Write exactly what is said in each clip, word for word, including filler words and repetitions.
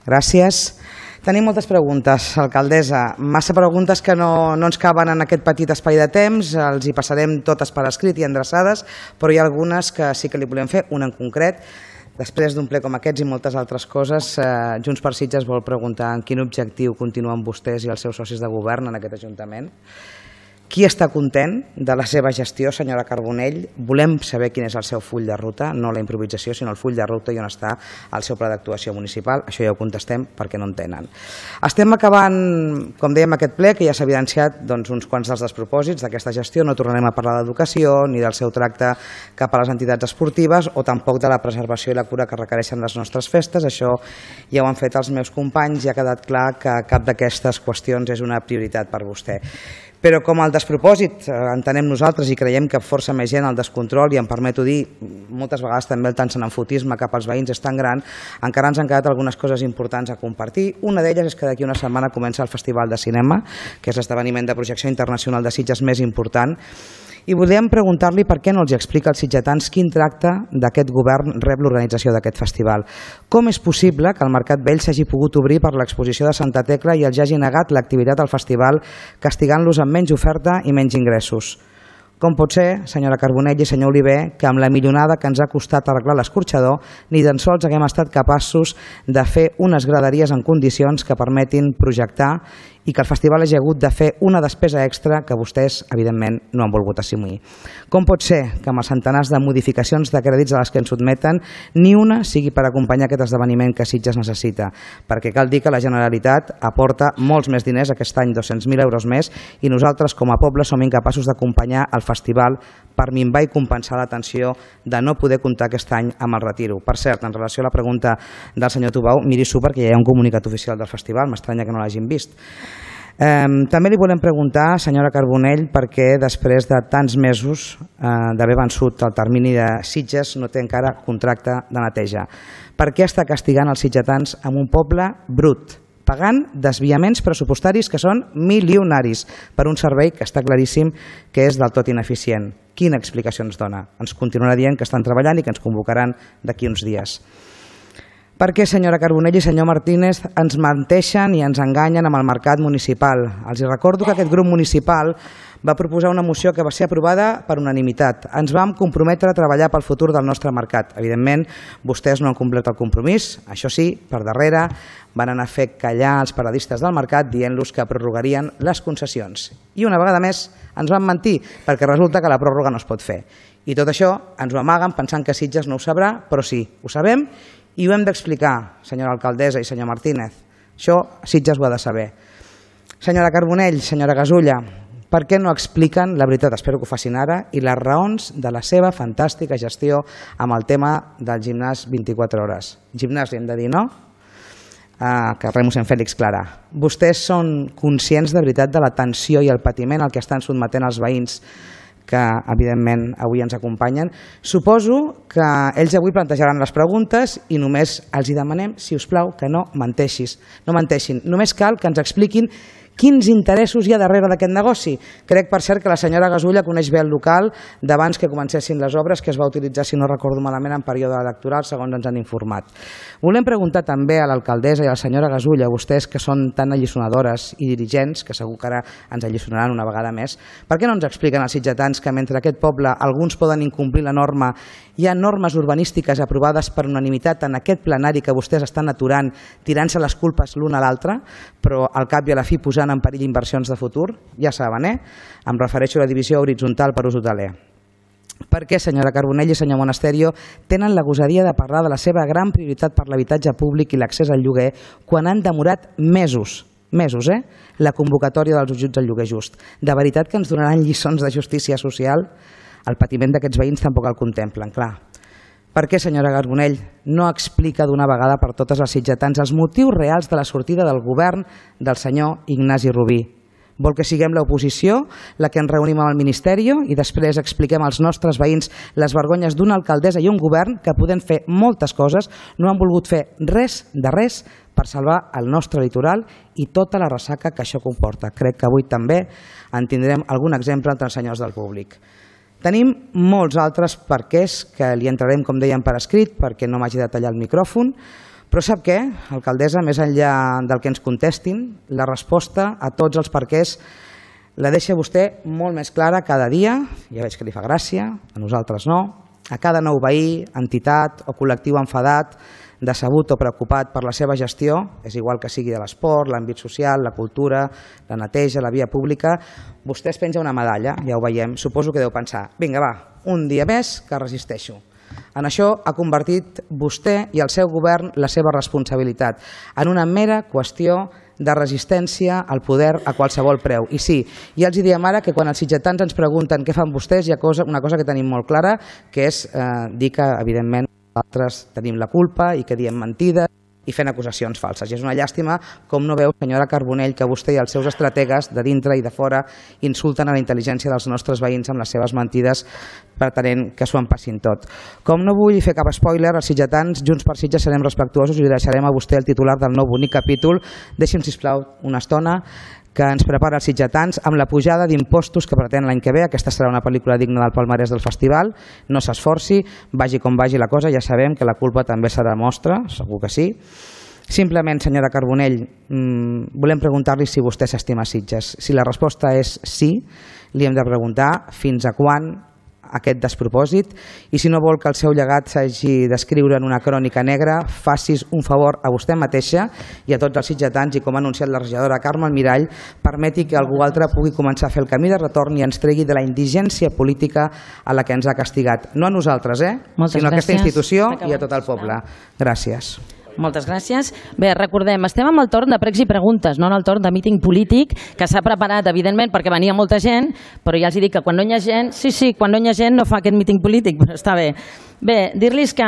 Gràcies. Tenim moltes preguntes, alcaldessa. Massa preguntes que no, no ens caben en aquest petit espai de temps. Els hi passarem totes per escrit i endreçades, però hi ha algunes que sí que li volem fer, una en concret. Després d'un ple com aquests i moltes altres coses, eh, Junts per Sitges vol preguntar en quin objectiu continuen vostès i els seus socis de govern en aquest Ajuntament. Qui està content de la seva gestió, senyora Carbonell? Volem saber quin és el seu full de ruta, no la improvisació, sinó el full de ruta i on està el seu pla d'actuació municipal. Això ja ho contestem perquè no en tenen. Estem acabant, com dèiem, aquest ple, que ja s'ha evidenciat doncs, uns quants dels despropòsits d'aquesta gestió. No tornarem a parlar d'educació, ni del seu tracte cap a les entitats esportives, o tampoc de la preservació i la cura que requereixen les nostres festes. Això ja ho han fet els meus companys i ha quedat clar que cap d'aquestes qüestions és una prioritat per vostè. Però com el despropòsit entenem nosaltres i creiem que força més gent el descontrol, i em permeto dir, moltes vegades també el tanxenenfotisme cap als veïns és tan gran, encara ens han quedat algunes coses importants a compartir. Una d'elles és que d'aquí una setmana comença el Festival de Cinema, que és l'esdeveniment de projecció internacional de Sitges més important, i volíem preguntar-li per què no els explica als sitgetans quin tracte d'aquest govern rep l'organització d'aquest festival. Com és possible que el Mercat Vell s'hagi pogut obrir per l'exposició de Santa Tecla i els hagi negat l'activitat al festival, castigant-los amb menys oferta i menys ingressos? Com pot ser, senyora Carbonell i senyor Oliver, que amb la milionada que ens ha costat arreglar l'escorxador ni tan sols haguem estat capaços de fer unes graderies en condicions que permetin projectar i que el festival hagi hagut de fer una despesa extra que vostès, evidentment, no han volgut assumir? Com pot ser que amb els centenars de modificacions de crèdits a les que ens sotmeten ni una sigui per acompanyar aquest esdeveniment que Sitges necessita? Perquè cal dir que la Generalitat aporta molts més diners, aquest any dos-cents mil euros més, i nosaltres com a poble som incapaços d'acompanyar el festival per minvar i compensar la tensió de no poder comptar aquest any amb el retiro. Per cert, en relació a la pregunta del senyor Tubau, miri-s'ho perquè ja hi ha un comunicat oficial del festival, m'estranya que no l'hagin vist. Eh, també li volem preguntar, senyora Carbonell, perquè després de tants mesos eh, d'haver vençut el termini de Sitges no té encara contracte de neteja. Per què està castigant els sitgetans amb un poble brut, pagant desviaments pressupostaris que són milionaris per un servei que està claríssim que és del tot ineficient? Quina explicació ens dona? Ens continuarà dient que estan treballant i que ens convocaran d'aquí uns dies. Per què, senyora Carbonell i senyor Martínez, ens menteixen i ens enganyen amb el mercat municipal? Els recordo que aquest grup municipal va proposar una moció que va ser aprovada per unanimitat. Ens vam comprometre a treballar pel futur del nostre mercat. Evidentment, vostès no han complert el compromís. Això sí, per darrere van anar a fer callar els paradistes del mercat dient-los que prorrogarien les concessions. I una vegada més ens van mentir, perquè resulta que la pròrroga no es pot fer. I tot això ens ho amaguen pensant que Sitges no ho sabrà, però sí, ho sabem i ho hem d'explicar, senyora alcaldessa i senyor Martínez. Això Sitges ho ha de saber. Senyora Carbonell, senyora Gasulla, per què no expliquen la veritat, espero que ho facin ara, i les raons de la seva fantàstica gestió amb el tema del gimnàs vint-i-quatre hores? Gimnàs li hem de dir, no? Ah, que remus en Fèlix Clara. Vostès són conscients de veritat de la tensió i el patiment al que estan sotmetent els veïns que evidentment avui ens acompanyen. Suposo que ells avui plantejaran les preguntes i només els hi demanem, si us plau, que no menteixis, no menteixin. Només cal que ens expliquin quins interessos hi ha darrere d'aquest negoci. Crec, per cert, que la senyora Gasulla coneix bé el local d'abans que comencessin les obres, que es va utilitzar, si no recordo malament, en període electoral, segons ens han informat. Volem preguntar també a l'alcaldessa i a la senyora Gasulla, vostès que són tan alliçonadores i dirigents, que segur que ara ens alliçonaran una vegada més, per què no ens expliquen als sitgetans que mentre aquest poble alguns poden incomplir la norma, hi ha normes urbanístiques aprovades per unanimitat en aquest plenari que vostès estan aturant, tirant-se les culpes l'un a l'altre, però al cap i a la fi posant en perill inversions de futur? Ja saben, eh? Em refereixo a la divisió horitzontal per ús hoteler. Per què, senyora Carbonell i senyor Monasterio, tenen la gosadia de parlar de la seva gran prioritat per l'habitatge públic i l'accés al lloguer quan han demorat mesos, mesos, eh? la convocatòria dels ajuts al lloguer just? De veritat que ens donaran lliçons de justícia social? El patiment d'aquests veïns tampoc el contemplen, clar. Per què, senyora Carbonell, no explica d'una vegada per totes als sitgetans els motius reals de la sortida del govern del senyor Ignasi Rubí? Vol que siguem l'oposició la que ens reunim amb el Ministeri i després expliquem als nostres veïns les vergonyes d'una alcaldessa i un govern que, podent fer moltes coses, no han volgut fer res de res per salvar el nostre litoral i tota la ressaca que això comporta. Crec que avui també en tindrem algun exemple entre els senyors del públic. Tenim molts altres perquès que li entrarem, com dèiem, per escrit, perquè no m'hagi de tallar el micròfon, Però sap què, alcaldessa, més enllà del que ens contestin, la resposta a tots els perquès la deixa vostè molt més clara cada dia, ja veig que li fa gràcia, a nosaltres no, a cada nou veí, entitat o col·lectiu enfadat, decebut o preocupat per la seva gestió, és igual que sigui de l'esport, l'àmbit social, la cultura, la neteja, la via pública, vostè es penja una medalla, ja ho veiem, suposo que deu pensar, vinga va, un dia més que resisteixo. En això ha convertit vostè i el seu govern la seva responsabilitat en una mera qüestió de resistència al poder a qualsevol preu. I sí, ja els diem ara que quan els sitgetans ens pregunten què fan vostès, hi ha una cosa que tenim molt clara, que és dir que, evidentment, nosaltres tenim la culpa i que diem mentides i fent acusacions falses. I és una llàstima com no veu, senyora Carbonell, que vostè i els seus estrategues de dintre i de fora insulten a la intel·ligència dels nostres veïns amb les seves mentides pretenent que s'ho empassin tot. Com no vull fer cap spoiler, els sitgetans, Junts per Sitges, serem respectuosos i li deixarem a vostè el titular del nou bonic capítol. Deixi'm, sisplau, una estona que ens prepara els sitgetans amb la pujada d'impostos que pretén l'any que ve. Aquesta serà una pel·lícula digna del palmarès del festival. No s'esforci, vagi com vagi la cosa, ja sabem que la culpa també serà nostra, segur que sí. Simplement, senyora Carbonell, volem preguntar-li si vostè s'estima Sitges. Si la resposta és sí, li hem de preguntar fins a quan aquest despropòsit, i si no vol que el seu llegat s'hagi d'escriure en una crònica negra, facis un favor a vostè mateixa i a tots els sitgetans, i com ha anunciat la regidora Carme Almirall, permeti que algú altre pugui començar a fer el camí de retorn i ens tregui de la indigència política a la que ens ha castigat. No a nosaltres, eh? sinó a aquesta institució i a tot el poble. Gràcies. Moltes gràcies. Bé, recordem, estem amb el torn de pregs i preguntes, no en el torn de míting polític, que s'ha preparat, evidentment, perquè venia molta gent, però ja els dic que quan no hi ha gent, sí, sí, quan no hi ha gent no fa aquest míting polític, però està bé. Bé, dir-los que,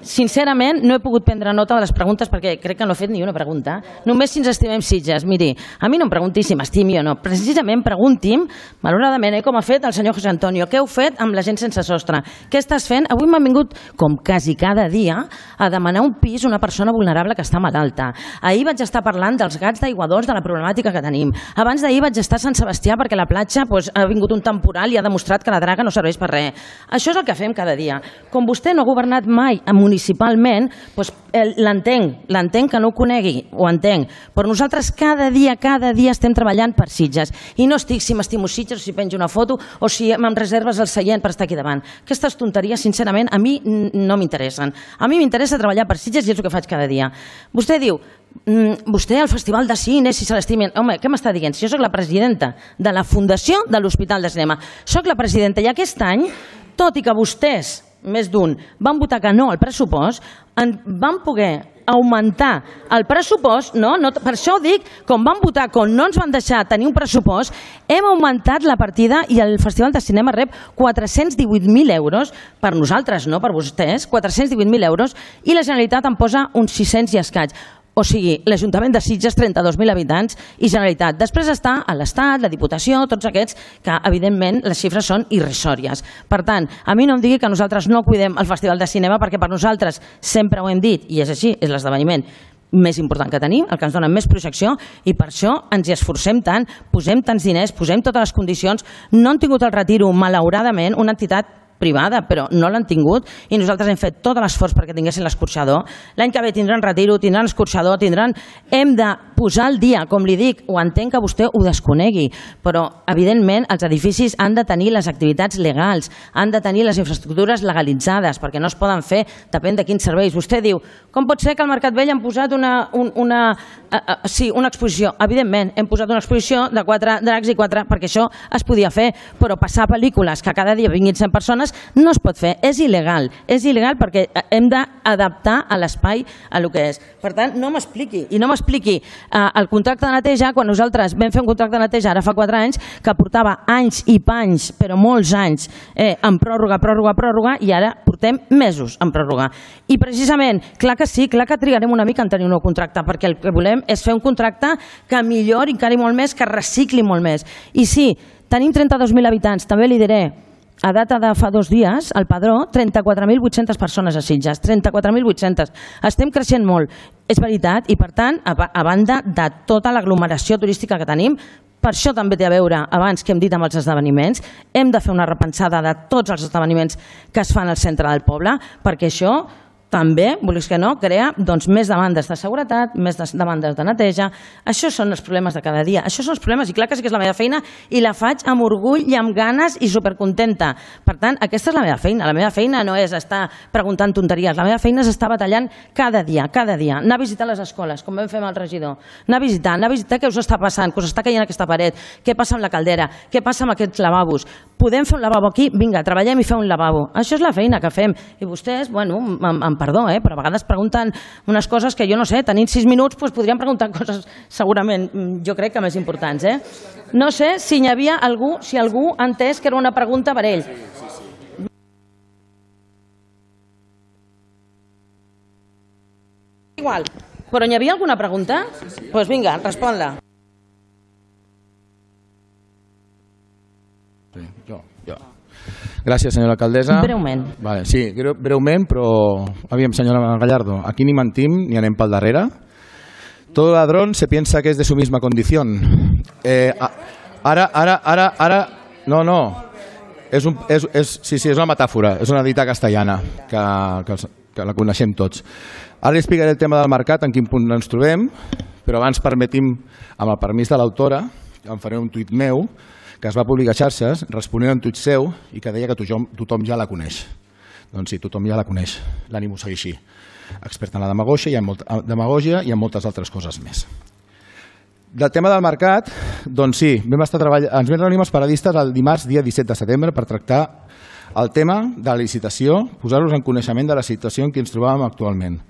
sincerament, no he pogut prendre nota de les preguntes perquè crec que no he fet ni una pregunta. Només si ens estimem Sitges. Miri, a mi no em pregunti si m'estimi o no. Precisament pregunti'm, malauradament, eh, com ha fet el senyor José Antonio, què heu fet amb la gent sense sostre? Què estàs fent? Avui m'han vingut, com quasi cada dia, a demanar un pis a una persona vulnerable que està malalta. Ahir vaig estar parlant dels gats d'aiguadors, de la problemàtica que tenim. Abans d'ahir vaig estar a Sant Sebastià perquè a la platja doncs, ha vingut un temporal i ha demostrat que la draga no serveix per res. Això és el que fem cada dia. Com vostè no ha governat mai municipalment, doncs, l'entenc, l'entenc que no ho conegui, ho entenc, però nosaltres cada dia, cada dia estem treballant per Sitges. I no estic si m'estimo Sitges o si penjo una foto o si em reserves el seient per estar aquí davant. Aquestes tonteries, sincerament, a mi no m'interessen. A mi m'interessa treballar per Sitges i és el que faig cada dia. Vostè diu, vostè al Festival de Cine, si se l'estimen... Home, què m'està dient? Si jo soc la presidenta de la Fundació de l'Hospital de Cinema, soc la presidenta i aquest any, tot i que vostès, més d'un, van votar que no al pressupost, van poder augmentar el pressupost, no, no, per això ho dic, com van votar, com no ens van deixar tenir un pressupost, hem augmentat la partida i el Festival de Cinema rep quatre-cents divuit mil euros, per nosaltres, no per vostès, quatre-cents divuit mil euros, i la Generalitat en posa uns sis-cents i escaig. O sigui, l'Ajuntament de Sitges, trenta-dos mil habitants, i Generalitat. Després està a l'Estat, la Diputació, tots aquests, que evidentment les xifres són irrisòries. Per tant, a mi no em digui que nosaltres no cuidem el Festival de Cinema, perquè per nosaltres, sempre ho hem dit, i és així, és l'esdeveniment més important que tenim, el que ens dona més projecció, i per això ens hi esforcem tant, posem tants diners, posem totes les condicions. No han tingut el retiro, malauradament, una entitat privada, però no l'han tingut i nosaltres hem fet tot l'esforç perquè tinguessin l'escorxador. L'any que ve tindran retiro, tindran escorxador, tindran... Hem de posar al dia, com li dic, ho entenc que vostè ho desconegui, però evidentment els edificis han de tenir les activitats legals, han de tenir les infraestructures legalitzades, perquè no es poden fer, depèn de quins serveis. Vostè diu, com pot ser que al Mercat Vell han posat una, una, uh, uh, sí, una exposició? Evidentment, hem posat una exposició de quatre dracs i quatre, perquè això es podia fer, però passar pel·lícules que cada dia vinguin cent persones no es pot fer, és il·legal, és il·legal perquè hem d'adaptar a l'espai a el que és. Per tant, no m'expliqui, i no m'expliqui eh, el contracte de neteja, quan nosaltres vam fer un contracte de neteja ara fa quatre anys, que portava anys i panys, però molts anys, eh, en pròrroga, pròrroga, pròrroga, i ara portem mesos en pròrroga. I precisament, clar que sí, clar que trigarem una mica en tenir un nou contracte, perquè el que volem és fer un contracte que millori encara molt més, que recicli molt més. I sí, tenim trenta-dos mil habitants, també li diré, a data de fa dos dies, al Padró, trenta-quatre mil vuit-centes persones a Sitges, trenta-quatre mil vuit-centes. Estem creixent molt, és veritat, i per tant, a banda de tota l'aglomeració turística que tenim, per això també té a veure, abans que hem dit amb els esdeveniments, hem de fer una repensada de tots els esdeveniments que es fan al centre del poble, perquè això també, vulguis que no, crea doncs, més demandes de seguretat, més demandes de neteja. Això són els problemes de cada dia. Això són els problemes, i clar que sí que és la meva feina i la faig amb orgull i amb ganes i supercontenta. Per tant, aquesta és la meva feina. La meva feina no és estar preguntant tonteries. La meva feina és estar batallant cada dia, cada dia. Anar a visitar les escoles, com vam fer amb el regidor. Anar a visitar, anar a visitar què us està passant, què us està caient aquesta paret, què passa amb la caldera, què passa amb aquests lavabos. Podem fer un lavabo aquí? Vinga, treballem i fem un lavabo. Això és la feina que fem. I vostès, bueno, amb, amb perdó, eh, però a vegades pregunten unes coses que jo no sé, tenint sis minuts doncs podríem preguntar coses segurament, jo crec que més importants. Eh? No sé si hi havia algú, si algú ha entès que era una pregunta per ell. Igual, però hi havia alguna pregunta? Doncs pues vinga, respon-la. Sí, jo, jo. Gràcies, senyora alcaldessa. Breument. Vale, sí, breument, però... Aviam, senyora Gallardo, aquí ni mentim ni anem pel darrere. Todo ladrón se piensa que es de su misma condición. Eh, ara, ara, ara, ara... No, no. És un, és, és, sí, sí, és una metàfora, és una dita castellana, que, que, que la coneixem tots. Ara li explicaré el tema del mercat, en quin punt ens trobem, però abans permetim, amb el permís de l'autora, em faré un tuit meu, que es va publicar a xarxes, responent a un tuit seu i que deia que tothom, tothom ja la coneix. Doncs sí, tothom ja la coneix. L'ànim ho segueix així. Experta en la demagògia i en, molt, demagògia i en moltes altres coses més. Del tema del mercat, doncs sí, vam estar treballant, ens vam reunir amb els paradistes el dimarts, dia disset de setembre, per tractar el tema de la licitació, posar-los en coneixement de la situació en què ens trobàvem actualment.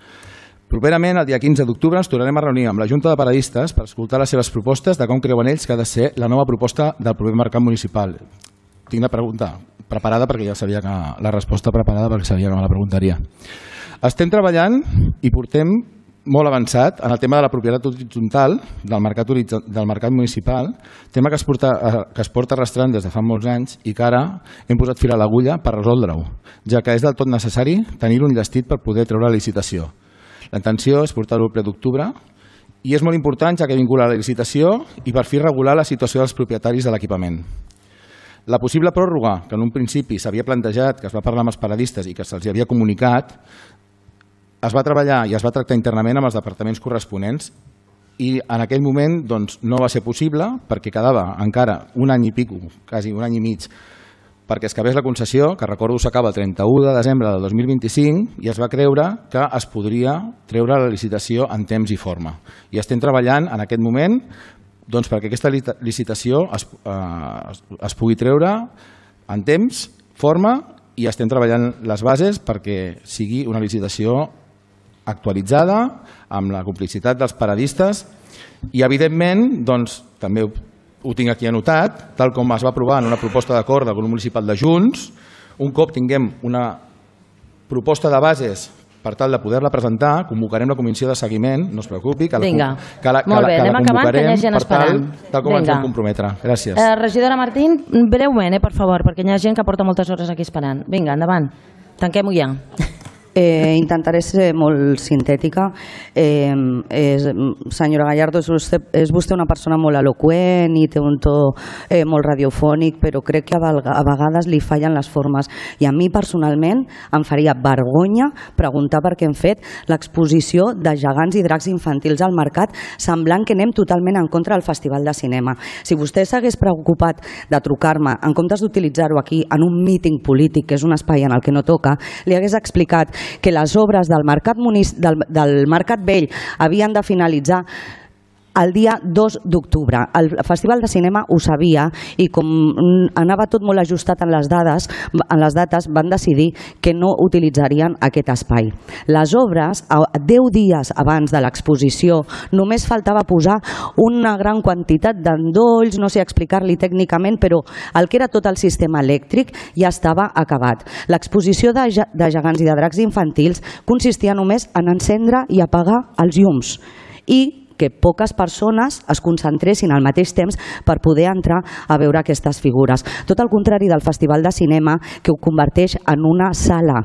Properament, el dia quinze d'octubre, ens tornarem a reunir amb la Junta de Paradistes per escoltar les seves propostes de com creuen ells que ha de ser la nova proposta del proper mercat municipal. Tinc la pregunta preparada perquè ja sabia que la resposta preparada perquè sabia que me la preguntaria. Estem treballant i portem molt avançat en el tema de la propietat horitzontal del mercat, del mercat municipal, tema que es, porta, que es porta arrastrant des de fa molts anys i que ara hem posat fil a l'agulla per resoldre-ho, ja que és del tot necessari tenir-ho enllestit per poder treure la licitació. La intenció és portar-ho al ple d'octubre i és molt important ja que vincula la licitació i per fi regular la situació dels propietaris de l'equipament. La possible pròrroga, que en un principi s'havia plantejat, que es va parlar amb els paradistes i que se'ls havia comunicat, es va treballar i es va tractar internament amb els departaments corresponents i en aquell moment doncs, no va ser possible perquè quedava encara un any i pico, quasi un any i mig, perquè es acabés la concessió, que recordo s'acaba el trenta-u de desembre del dos mil vint-i-cinc, i es va creure que es podria treure la licitació en temps i forma. I estem treballant en aquest moment doncs, perquè aquesta licitació es, eh, es pugui treure en temps, forma, i estem treballant les bases perquè sigui una licitació actualitzada, amb la complicitat dels paradistes, i evidentment, doncs, també ho tinc aquí anotat, tal com es va aprovar en una proposta d'acord del grup municipal de Junts, un cop tinguem una proposta de bases per tal de poder-la presentar, convocarem la comissió de seguiment, no es preocupi, que la, Vinga. que la, que Molt bé, la, que la convocarem acabant, per tal, tal com Vinga. Ens vam comprometre. Gràcies. Eh, regidora Martín, breument, eh, per favor, perquè hi ha gent que porta moltes hores aquí esperant. Vinga, endavant. Tanquem-ho ja. Eh, intentaré ser molt sintètica. Eh, és, senyora Gallardo, és vostè, és vostè una persona molt eloqüent i té un to eh, molt radiofònic, però crec que a, a vegades li fallen les formes. I a mi personalment em faria vergonya preguntar per què hem fet l'exposició de gegants i dracs infantils al mercat, semblant que anem totalment en contra del Festival de Cinema. Si vostè s'hagués preocupat de trucar-me, en comptes d'utilitzar-ho aquí en un míting polític, que és un espai en el que no toca, li hagués explicat que les obres del mercat, del, del mercat vell havien de finalitzar el dia dos d'octubre. El Festival de Cinema ho sabia i com anava tot molt ajustat en les dades, en les dates, van decidir que no utilitzarien aquest espai. Les obres, deu dies abans de l'exposició, només faltava posar una gran quantitat d'endolls, no sé explicar-li tècnicament, però el que era tot el sistema elèctric ja estava acabat. L'exposició de, de gegants i de dracs infantils consistia només en encendre i apagar els llums i que poques persones es concentressin al mateix temps per poder entrar a veure aquestes figures. Tot el contrari del Festival de Cinema, que ho converteix en una sala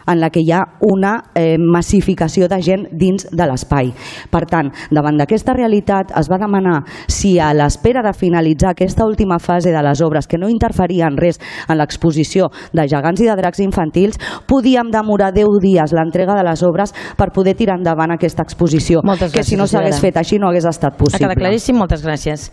en la que hi ha una eh, massificació de gent dins de l'espai. Per tant, davant d'aquesta realitat es va demanar si a l'espera de finalitzar aquesta última fase de les obres, que no interferia en res en l'exposició de gegants i de dracs infantils, podíem demorar deu dies l'entrega de les obres per poder tirar endavant aquesta exposició, Moltes que si no gràcies, s'hagués fet així no hagués estat Ha possible. quedat claríssim, moltes gràcies.